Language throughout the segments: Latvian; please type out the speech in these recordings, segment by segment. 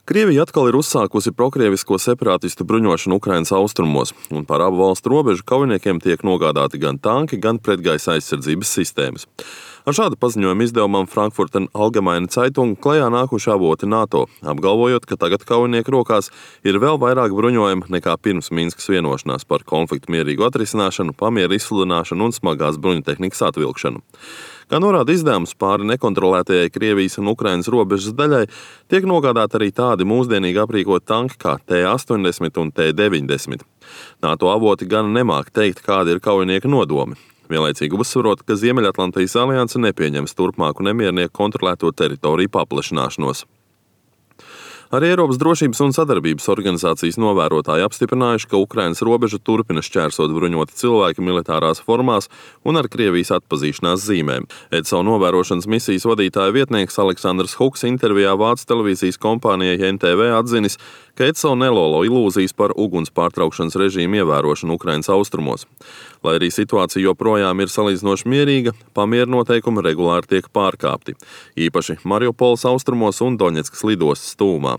Krievija atkal ir uzsākusi prokrievisko separātistu bruņošanu Ukrainas austrumos, un par abu valstu robežu kaujiniekiem tiek nogādāti gan tanki, gan pretgaisa aizsardzības sistēmas. Ar šādu paziņojumu izdevumam Frankfurter Allgemeine Zeitung klajā nākuši avoti NATO, apgalvojot, ka tagad kaujinieku rokās ir vēl vairāk bruņojuma nekā pirms Minskas vienošanās par konfliktu mierīgu atrisināšanu, pamieru izsludināšanu un smagās bruņutehnikas atvilkšanu. Kā norāda izdevums, pāri nekontrolētajai Krievijas un Ukrainas robežas daļai tiek nogādāti arī tādi mūsdienīgi aprīkoti tanki kā T-80 un T-90. NATO avoti gan nemāk teikt, kādi ir kaujinieku nodomi. Vienlaicīgi uzsverot, ka Ziemeļatlantijas alianse nepieņems turpmāku nemiernieku kontrolēto teritoriju paplašināšanos. Arī Eiropas drošības un sadarbības organizācijas novērotāji apstiprinājuši, ka Ukrainas robežu turpina šķērsot bruņoti cilvēki militārās formās un ar Krievijas atpazīšanās zīmēm. EDSO novērošanas misijas vadītāja vietnieks Aleksandrs Huks intervijā Vācu televīzijas kompānijai NTV atzinis, ka EDSO nelolo ilūzijas par uguns pārtraukšanas režīmu ievērošanu Ukrainas austrumos. Lai arī situācija joprojām ir salīdzinoši mierīga, pamieru noteikumi regulāri tiek pārkāpti, īpaši Mariupoles austrumos un Doņetskas lidostas tūmā.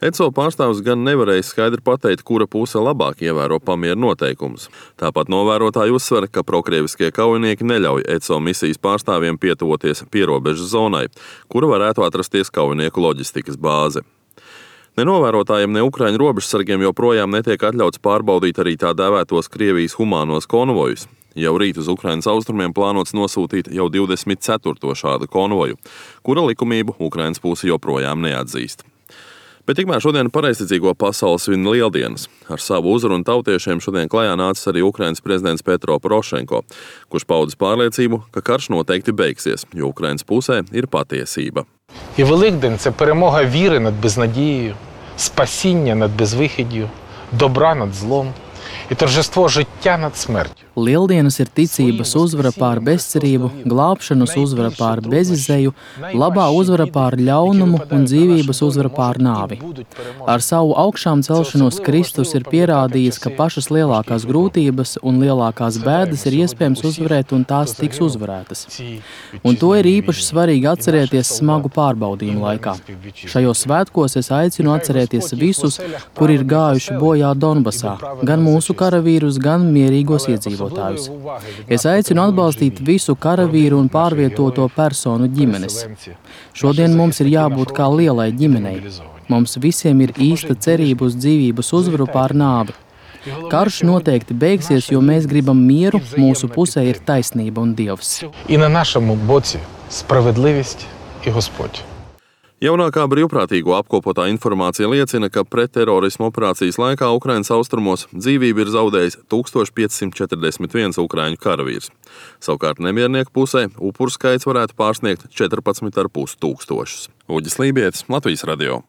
EDSO pārstāvs gan nevarēja skaidri pateikt, kura puse labāk ievēro pamieru noteikumus. Tāpat novērotāji uzsver, ka prokrieviskie kaujinieki neļauj EDSO misijas pārstāvjiem pietuvoties pierobežas zonai, kura varētu atrasties kaujinieku loģistikas bāze. Ne novērotājiem, ne Ukraiņu robežsargiem joprojām netiek atļauts pārbaudīt arī tā dēvētos Krievijas humānos konvojus. Jau rīt uz Ukrainas austrumiem plānots nosūtīt jau 24. šādu konvoju, kura likumību Ukrainas puse joprojām neatzīst. Bet tikmēr šodien pareizticīgo pasauli svin lieldienas. Ar savu uzrunu tautiešiem šodien klajā nācis arī Ukrainas prezidents Petro Porošenko, kurš paudis pārliecību, ka karš noteikti beigsies, jo Ukrainas pusē ir patiesība. І Великдень – це перемога віри над безнадією, спасіння над безвихіддю, добра над злом і торжество життя над смертю. Lieldienas ir ticības uzvara pār bezcerību, glābšanas uzvara pār bezizēju, labā uzvara pār ļaunumu un dzīvības uzvara pār nāvi. Ar savu augšām celšanos Kristus ir pierādījis, ka pašas lielākās grūtības un lielākās bēdas ir iespējams uzvarēt un tās tiks uzvarētas. Un to ir īpaši svarīgi atcerēties smagu pārbaudījumu laikā. Šajos svētkos es aicinu atcerēties visus, kuri ir gājuši bojā Donbasā, gan mūsu karavīrus, gan mierīgos iedzīvotājus. Es aicinu atbalstīt visu karavīru un pārvietoto personu ģimenes. Šodien mums ir jābūt kā lielai ģimenei. Mums visiem ir īsta cerība uz dzīvības uzvaru pār nāvi. Karš noteikti beigsies, jo mēs gribam mieru, mūsu pusē ir taisnība un Dievs. І на нашому боці справедливість і Господь. Jaunākā brīvprātīgo apkopotā informācija liecina, ka pretterorisma operācijas laikā Ukrainas austrumos dzīvību ir zaudējis 1541 ukraiņu karavīrs. Savukārt nemiernieku pusē upuru skaits varētu pārsniegt 14,5 tūkstošus. Uģis Lībietis, Latvijas radio.